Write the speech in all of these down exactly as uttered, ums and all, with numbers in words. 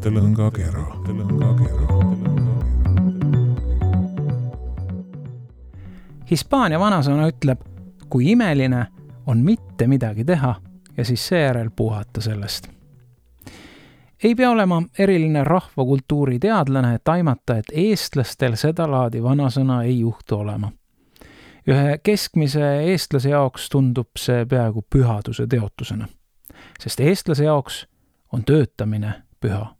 mõttelõngakera. Hispaania vanasõna ütleb, kui imeline on mitte midagi teha ja siis seejärel puhata sellest. Ei pea olema eriline rahvakultuuri teadlane, et aimata, et eestlastel seda laadi vanasõna ei juhtu olema. Ühe keskmise eestlase jaoks tundub see peaaegu pühaduse teotusena, sest eestlase jaoks on töötamine püha.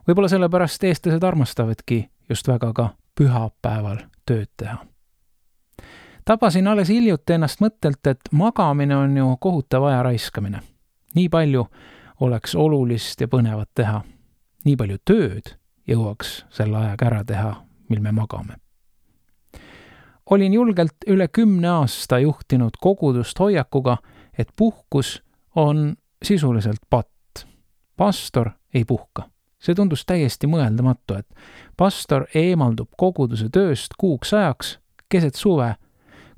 Võib-olla sellepärast eestlased armastavadki just väga ka pühapäeval tööd teha. Tabasin alles hiljuti ennast mõttelt, et magamine on ju kohutav aja raiskamine. Nii palju oleks olulist ja põnevat teha. Nii palju tööd jõuaks selle ajaga ära teha, mil me magame. Olin julgelt üle kümne aasta juhtinud kogudust hoiakuga, et puhkus on sisuliselt patt. Pastor ei puhka. See tundus täiesti mõeldamatu, et pastor eemaldub koguduse tööst kuuks ajaks keset suve,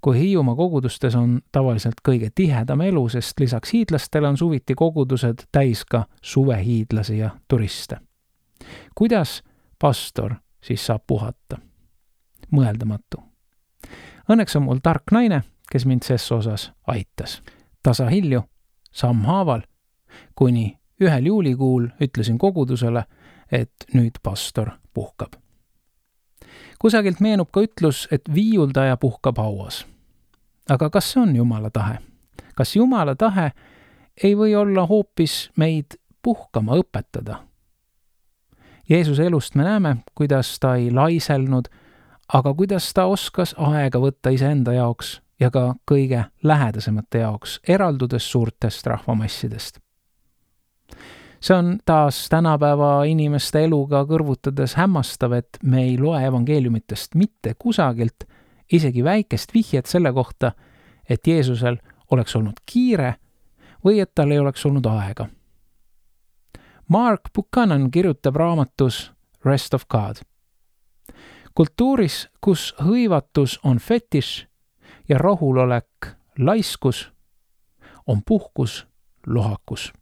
kui Hiiumaa kogudustes on tavaliselt kõige tihedam elu, sest lisaks hiidlastele on suviti kogudused täis ka suvehiidlasi ja turiste. Kuidas pastor siis saab puhata? Mõeldamatu. Õnneks on mul tark naine, kes mind ses osas aitas. Tasa hilju, sammhaaval, kuni ühel juulikuul ütlesin kogudusele, et nüüd pastor puhkab. Kusagilt meenub ka ütlus, et viiuldaja puhkab hauas. Aga kas see on Jumala tahe? Kas Jumala tahe ei või olla hoopis meid puhkama õpetada? Jeesuse elust me näeme, kuidas ta ei laiselnud, aga kuidas ta oskas aega võtta iseenda jaoks ja ka kõige lähedasemate jaoks, eraldudes suurtest rahvamassidest. See on taas tänapäeva inimeste eluga kõrvutades hämmastav, et me ei loe evangeeliumitest mitte kusagilt isegi väikest vihjet selle kohta, et Jeesusel oleks olnud kiire või et tal ei oleks olnud aega. Mark Buchanan kirjutab raamatus Rest of God. Kultuuris, kus hõivatus on fetiš ja rahulolek laiskus, on puhkus lohakus.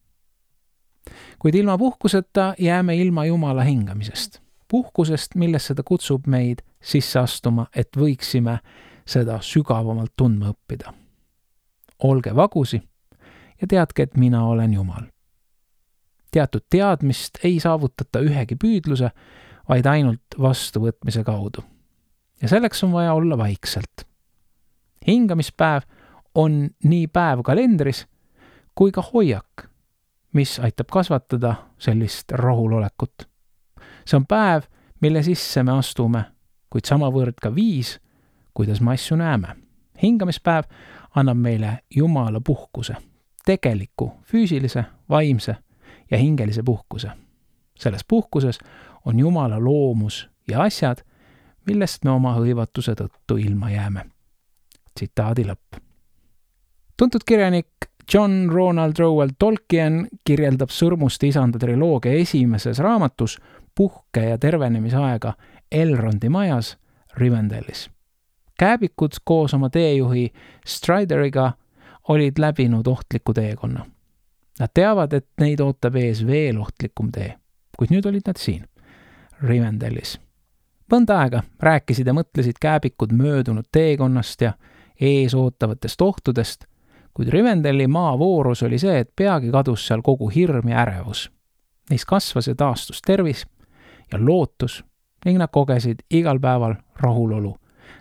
Kuid ilma puhkuseta jääme ilma Jumala hingamisest. Puhkusest, millesse ta kutsub meid sisse astuma, et võiksime seda sügavamalt tundma õppida. Olge vagusi ja teadke, et mina olen Jumal. Teatud teadmist ei saavutata ühegi püüdluse, vaid ainult vastuvõtmise kaudu. Ja selleks on vaja olla vaikselt. Hingamispäev on nii päev kalendris kui ka hoiak, mis aitab kasvatada sellist rahulolekut. See on päev, mille sisse me astume, kuid samavõrd ka viis, kuidas me asju näeme. Hingamispäev annab meile Jumala puhkuse, tegeliku, füüsilise, vaimse ja hingelise puhkuse. Selles puhkuses on Jumala loomus ja asjad, millest me oma hõivatuse tõttu ilma jääme. Tsitaadi lõpp. Tuntud kirjanik John Ronald Reuel Tolkien kirjeldab Sõrmuste isanda triloogia esimeses raamatus puhke- ja tervenemisaega Elrondi majas Rivendellis. Kääbikud koos oma teejuhi Strideriga olid läbinud ohtliku teekonna. Nad teavad, et neid ootab ees veel ohtlikum tee, kuid nüüd olid nad siin, Rivendellis. Mõnda aega rääkisid ja mõtlesid kääbikud möödunud teekonnast ja ees ootavatest ohtudest, kuid Rivendelli maavoorus oli see, et peagi kadus seal kogu hirm ja ärevus. Neis kasvas ja taastus tervis ja lootus ning nad kogesid igal päeval rahulolu,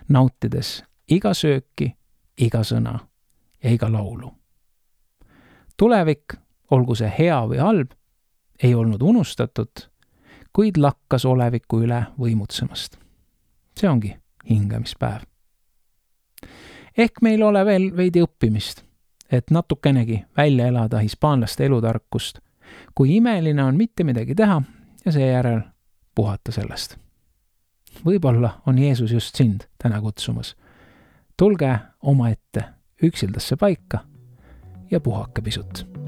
nautides iga sööki, iga sõna ja iga laulu. Tulevik, olgu see hea või halb, ei olnud unustatud, kuid lakkas oleviku üle võimutsemast. See ongi hingamispäev. Ehk meil ole veel veidi õppimist, et natukenegi välja elada hispaanlaste elutarkust, kui imeline on mitte midagi teha ja seejärel puhata sellest. Võib-olla on Jeesus just sind täna kutsumas. Tulge oma ette üksildasse paika ja puhake pisut.